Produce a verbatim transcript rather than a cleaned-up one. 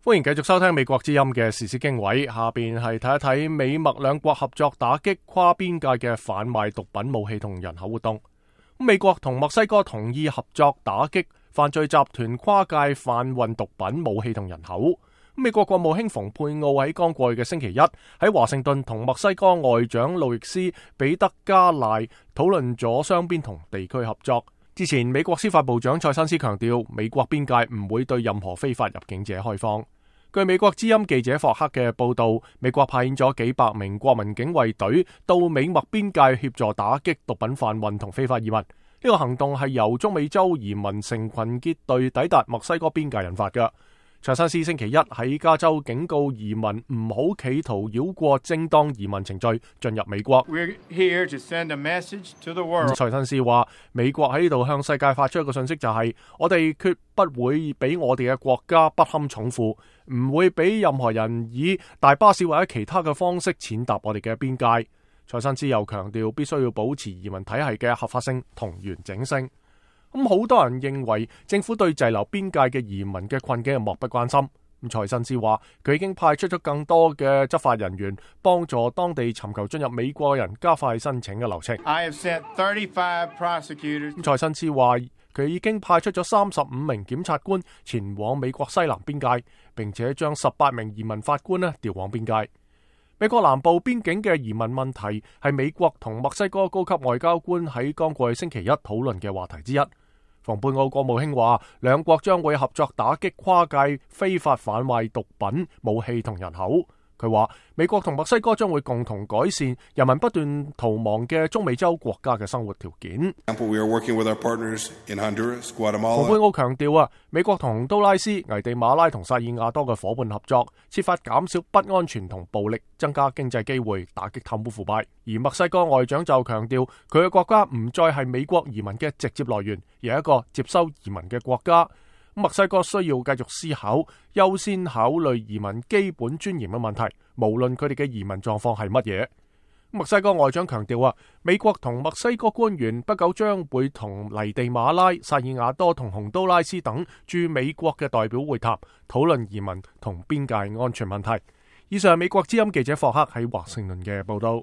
歡迎繼續收聽美國之音嘅時事經緯，下邊係睇一睇美墨兩國合作打擊跨邊界嘅販賣毒品、武器同人口活動。美國同墨西哥同意合作打擊犯罪集團跨界販運毒品、武器同人口。美國國務卿蓬佩奧喺剛過去嘅星期一喺華盛頓同墨西哥外長路易斯彼得加賴討論咗雙邊同地區合作。之前美國司法部長塞申斯強調，美國邊界唔會對任何非法入境者開放。據美國之音記者霍克嘅報道，美國派遣咗幾百名國民警衛隊到美墨邊界協助打擊毒品販運同非法移民。呢個行動係由中美洲移民成群結隊抵達墨西哥邊界引發嘅。塞申斯星期一喺加州警告移民唔好企圖繞過正當移民程序進入美國。塞申斯話，美國喺呢度向世界發出一個信息，就係、是、我哋決不會俾我哋嘅國家不堪重負，唔會俾任何人以大巴士或者其他嘅方式踐踏我哋嘅邊界。塞申斯又強調，必須要保持移民體系嘅合法性同完整性。咁好多人認為政府對滯留邊界嘅移民嘅困境係漠不關心。咁塞申斯話，佢已經派出咗更多嘅執法人員幫助當地尋求進入美國嘅人加快申請嘅流程。I have sent thirty-five prosecutors. 塞申斯話，佢已經派出咗三十五名檢察官前往美國西南邊界，並且將十八名移民法官呢調往邊界。美國南部邊境嘅移民問題係美國同墨西哥高級外交官喺剛過去星期一討論嘅話題之一。蓬佩奧國務卿話，兩國將會合作打擊跨界非法販賣毒品、武器同人口。佢話，美國同墨西哥將會共同改善人民不斷逃亡嘅中美洲國家嘅生活條件。蓬佩奧強調啊，美國同洪都拉斯、危地馬拉同薩爾瓦多嘅伙伴合作，設法減少不安全同暴力，增加經濟機會，打擊貪污腐敗。而墨西哥外長就強調，佢嘅國家唔再係美國移民嘅直接來源，而係一個接收移民嘅國家。墨西哥需要繼續思考，優先考慮移民基本尊嚴嘅問題，無論佢哋嘅移民狀況係乜嘢。墨西哥外長強調啊，美國同墨西哥官員不久將會同危地馬拉、薩爾瓦多同洪都拉斯等駐美國嘅代表會談，討論移民同邊界安全問題。以上係美國之音記者霍克喺華盛頓嘅報道。